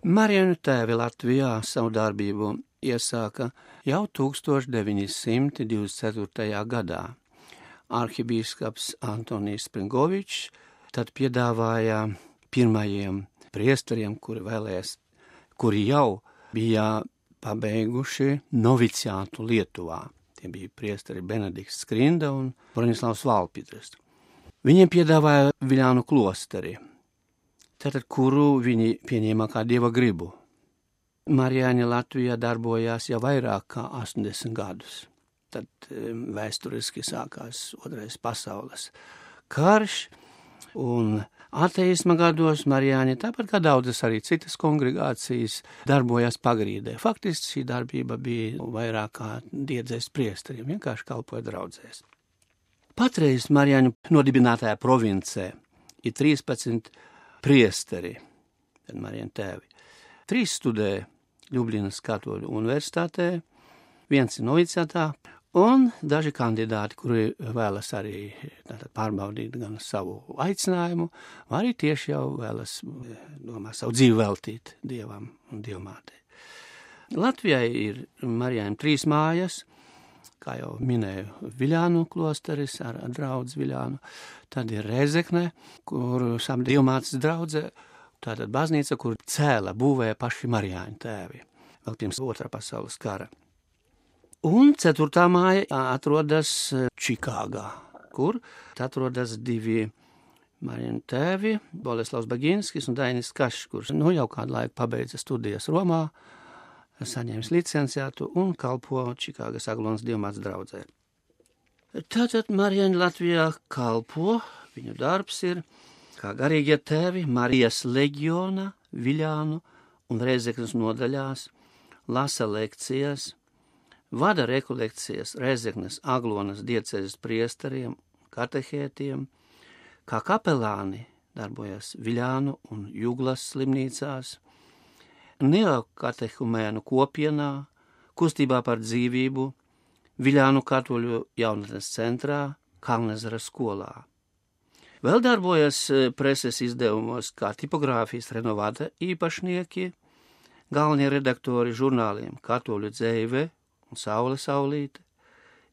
Marijāņu tēvi Latvijā savu darbību iesāka jau 1924. gadā. Arhibīskaps Antonijs Springovičs tad piedāvāja pirmajiem priesteriem, kuri jau bija pabeiguši noviciātu Lietuvā. Tie bija priesteri Benedikts Skrinda un Broņislavs Valpidrs. Viņiem piedāvāja Viļānu klosteri, tātad kuru viņi pieņēma kā dieva gribu. Marijāņi Latvijā darbojās jau vairāk kā 80 gadus. Tad vēsturiski sākās Otrais pasaules karš, un ateisma gados Marijāņi, tāpat kā daudzas arī citas kongregācijas, darbojās pagrīdē. Faktiski šī darbība bija vairāk kā diedzēs priesteriem, vienkārši kalpoja draudzēs. Patreiz Marijāņu nodibinātajā provincē ir 13 priesteri, tad Marijāņu tēvi. 3 studē Ļubljanas Katoļu universitātē, 1 ir noviciātā, un daži kandidāti, kuri vēlas arī pārbaudīt gan savu aicinājumu, vai arī tieši jau vēlas savu dzīvi veltīt Dievam un Dievmātei. Latvijai ir Marijāņiem 3 mājas, kā jau minēju, Viļānu klosteris ar draudzi Viļānu, tad ir Rēzekne, kur sap Dievmātes draudze, tātad baznīca, kur būvēja paši Marijāņu tēvi, vēl pirms Otrā pasaules kara. Un 4. māja atrodas Čikāgā, kur atrodas 2 Marijāņu tēvi, Boleslavs Baginskis un Dainis Kašs, kurš jau kādu laiku pabeidza studijas Romā, saņēmis licenciātu un kalpo Čikāgas Aglonas Dievmātes draudzē. Tātad Marijāņi Latvijā kalpo, viņu darbs ir kā garīgie tēvi Marijas leģiona, Viļānu un Rēzeknes nodaļās, lasa lekcijas, vada rekolekcijas Rēzeknes Aglonas diecēzes priesteriem, katehētiem, kā kapelāni darbojas Viļānu un Juglas slimnīcās, neokatehumēnu kopienā, kustībā par dzīvību, Viļānu katoļu jaunatnes centrā, Kalnezera skolā. Vēl darbojas preses izdevumos kā tipogrāfijas renovāta īpašnieki, galvenie redaktori žurnāliem Katoļu dzeive un Saule saulīte,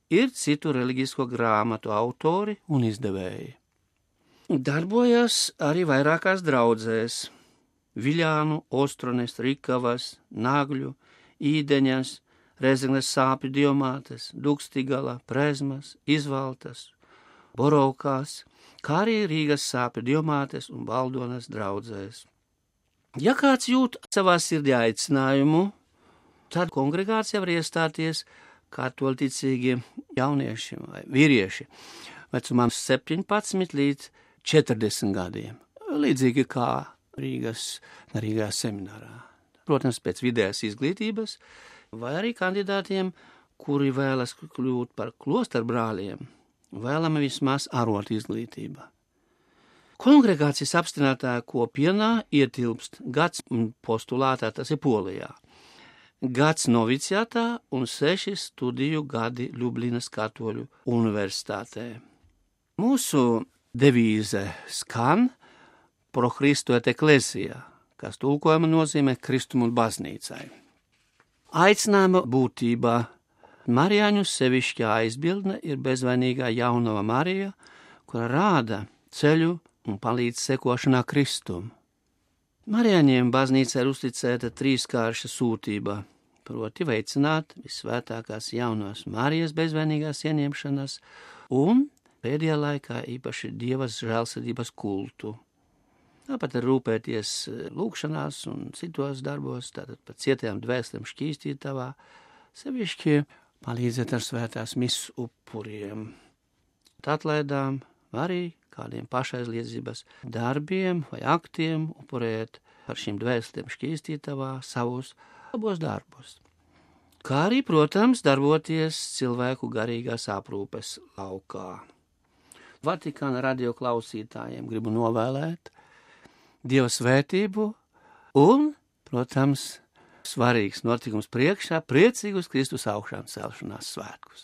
ir citu reliģisko grāmatu autori un izdevēji. Darbojas arī vairākās draudzēs Viļānu, Ostrones, Rikavas, Nagļu, Īdeņas, Rēzeknes Sāpju Dievmātes, Dukstigala, Prezmas, Izvaltas, Borovkās, kā arī Rīgas Sāpju Dievmātes un Baldonas draudzēs. Ja kāds jūt savā sirdī aicinājumu, tad kongregācija var iestāties katoļticīgi jaunieši vai vīrieši vecumā 17 līdz 40 gadiem, līdzīgi kā Rīgā seminārā. Protams, pēc vidējās izglītības, vai arī kandidātiem, kuri vēlas kļūt par klosterbrāļiem, vēlama vismaz arotu izglītība. Kongregācijas apstiprinātā kopienā ietilpst gads postulātā, tas ir Polijā, gads noviciātā un 6 studiju gadi Ļubljanas Katoļu universitātē. Mūsu devīze skan Pro Christu et ecclesia, kas tulkojuma nozīmē Kristumu un baznīcai. Aicinājuma būtībā Marijāņu sevišķā aizbildne ir bezvainīgā jaunava Marija, kura rāda ceļu un palīdz sekošanā Kristum. Marijāņiem baznīca ir uzticēta 3kārša sūtība, proti veicināt visvētākās jaunās Marijas bezvainīgās ieņemšanas un pēdējā laikā īpaši Dievas žēlsirdības kultu. Tāpat ir rūpēties lūkšanās un citos darbos, tātad par cietajām dvēselēm šķīstītavā, sevišķi palīdzēt ar svētās mises upuriem. Atlaidām arī kādiem pašaizliedzības darbiem vai aktiem upurēt par šīm dvēselēm šķīstītavā savus labos darbus. Kā arī, protams, darboties cilvēku garīgās aprūpes laukā. Vatikāna radio klausītājiem gribu novēlēt Dieva svētību un, protams, svarīgs notikums priekšā, priecīgus Kristus augšām celšanās svētkus.